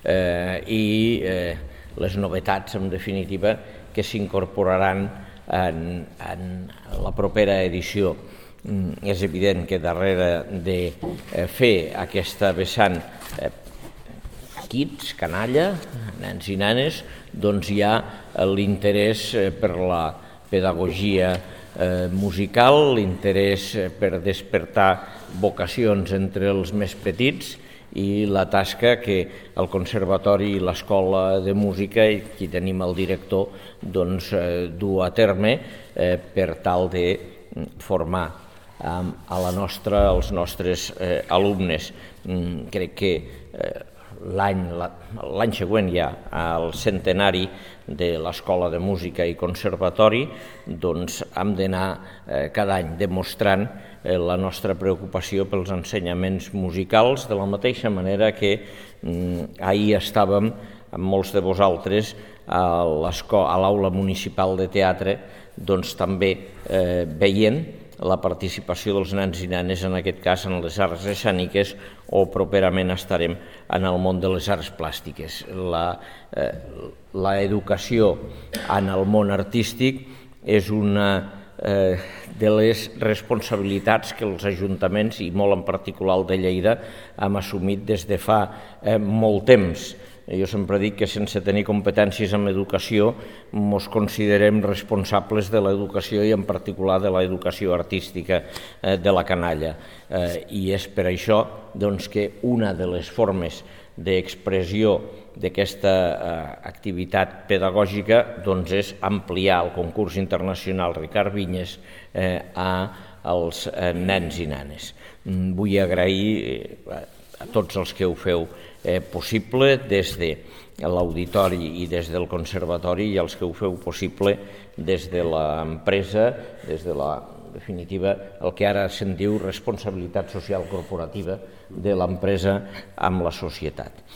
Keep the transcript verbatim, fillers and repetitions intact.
i les novetats, en definitiva, que s'incorporaran en, en la propera edició. És evident que darrere de fer aquesta vessant kids, canalla, nens i nenes, doncs hi ha l'interès per la pedagogia musical, l'interès per despertar vocacions entre els més petits i la tasca que el Conservatori i l'Escola de Música, i aquí tenim el director, doncs du a terme per tal de formar a la nostra, als nostres alumnes. Crec que l'any següent ja, al centenari de l'Escola de Música i Conservatori, doncs hem d'anar cada any demostrant la nostra preocupació pels ensenyaments musicals, de la mateixa manera que ahir estàvem amb molts de vosaltres a l'Aula Municipal de Teatre, doncs també veient la participació dels nens i nenes, en aquest cas en les arts escèniques, o properament estarem en el món de les arts plàstiques. L'educació en el món artístic és una de les responsabilitats que els ajuntaments, i molt en particular el de Lleida, hem assumit des de fa molt temps. Jo sempre dic que sense tenir competències en educació ens considerem responsables de l'educació i en particular de l'educació artística de la canalla. I és per això que una de les formes d'expressió d'aquesta activitat pedagògica és ampliar el concurs internacional Ricard Vinyes als nens i nenes. Vull agrair a tots els que ho feu possible des de l'auditori i des del conservatori, i els que ho feu possible des de l'empresa, des de la, en definitiva, el que ara se'n diu responsabilitat social corporativa de l'empresa amb la societat.